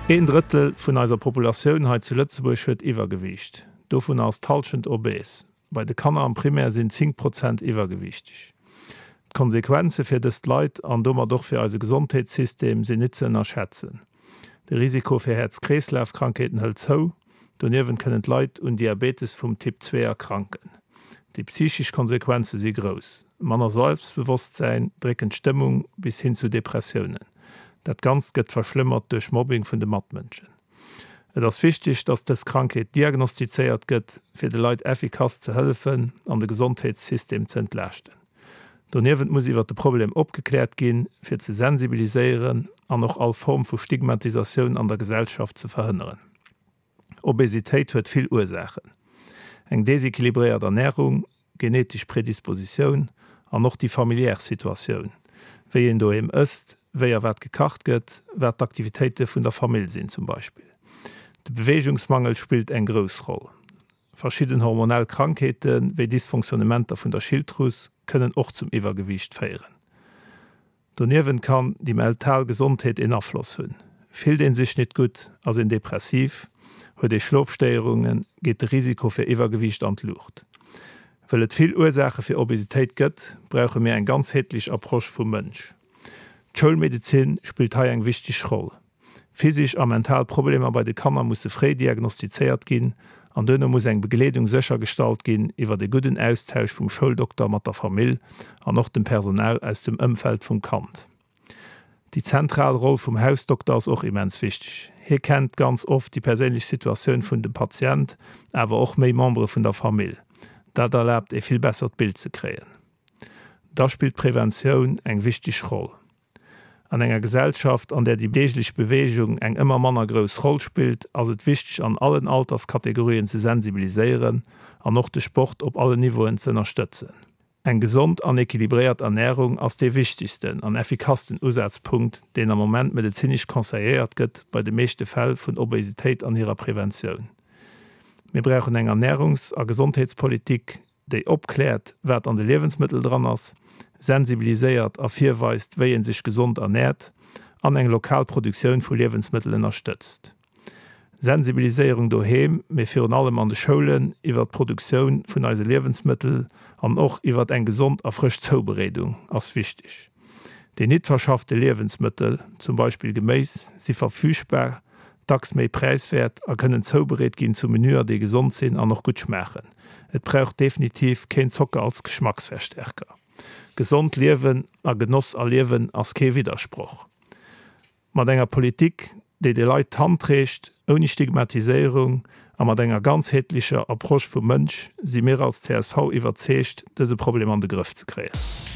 Een Drëttel vun eiser Populatioun hei zu Lëtzebuerg huet Iwwergewiicht. Dovunner ass d'Hallschent obes. Bei de Kanner am Primaire sinn 10 Prozent iwwergewiichteg. D'Konsequenze fir dëst Leit an domat och fir eise Gesondheetssystem sinn nit ze ënnerschätzen. De Risiko fir Häerz-Kreeslaf-Krankheeten hëlt zou. Doniewent kënnen d'Leit un Diabetes vum Typ 2 erkranken. Déi psychesch Konsequenze si grouss. Manner Selbstbewosstsäin, dréckend Stëmmung bis hin zu Depressiounen. Dat Ganzt gëtt verschlëmmert duerch Mobbing vun de Matmënschen. Et ass wichteg, dass dës Krankheet diagnostizéiert gëtt, fir de Leit effikass ze hëllefen an de Gesondheetssystem ze entlaaschten. Doniewent muss iwwer de Problem opgekläert ginn, fir ze sensibiliséieren an och all Form vu Stigmatisatioun an der Gesellschaft ze verhënneren. Obesitéit huet vill Ursaachen, eng desequilibréiert Ernärung, genetesch Predispositioun an och déi familiär Situatioun, wéi een doheem ësst, wéi a wat gekacht gëtt, wat d'Aktivitéite vun der Famill sinn zum Beispill. De Beweegungsmangel spillt eng grouss Roll. Verschidden hormonell Krankheete wéi Dysfonctionnementer vun der Schilddrus kënnen och zum Iwwergewiicht féieren. Doniewent kann déi mental Gesondheet een Afloss hunn. Fillt een sech nit gutt, ass een depressiv, huet ee Schlofstéierungen, geet de Risiko fir Iwwergewiicht an d'Luucht. Wëll et vill Ursaache fir Obesitéit gëtt, brauche mir eng ganzheetlech Approche vum Mënsch. D'Schoulmedezin spillt hei eng wichteg Roll. Physisch a mental Problemer bei de Kanner musse fréi diagnostizéiert ginn an duerno muss eng Begleedung séchergestallt ginn iwwert e gudden Austausch vum Schouldokter mat der Famill an och dem Personal aus dem Ëmfeld vum Kand. Déi zentral Roll vum Hausdokter ass och immens wichteg. Hie kennt ganz oft déi perséinlech Situatioun vun dem Patient, awer och méi Membere vun der Famill. Dat erlaabt e vill bessert Bild ze kréien. Da spillt d'Preventioun eng wichteg Roll. An enger Gesellschaft, an där déi deeglech Beweegung eng ëmmer manner grouss Roll spillt, ass et wichteg an allen Alterskategorien ze sensibiliséieren an och de Sport op allen Niveauen ze ënnerstëtzen. Eng gesond an equilibréiert Ernärung ass dee wichtegsten an effikassten Usazpunkt, deen am Moment medezinesch conseilléiert gëtt bei de meeschte Fäll vun Obesitéit an hirer Preventioun. Mir brauchen eng Ernärungs a Gesondheetspolitik, déi opkläert, wat an de Liewensmëttel dran ass, sensibiliséiert a virweist, wéi ee sech gesond ernäert an eng lokal Produktioun vu Liewensmëttel ënnerstëtzt. Sensibiliséierung doheem, mee virun allem an de Schoulen iwwert d'Produktioun vun eise Liewensmëttel an och iwwert eng gesond a frësch Zoubereedung ass wichteg. Déi nit verschaffte Liewensmëttel, zum Beispill Geméis, si verfügbar, dacks méi präiswäert a kënnen zoubereet ginn zu Menüer, déi gesond sinn an och gutt schmaachen. Et brauch definitiv keen Zocker als Geschmacksverstärker. Gesond liewen a Genoss erliewen ass kee Widdersproch. Mat enger Politik, déi de Leit d'Hand reecht, ouni Stigmatiséierung a mat enger ganzheetlecher Approche vum Mënsch, si mir als csv iwwerzeegt, dëse Problem an de Grëff ze kréien.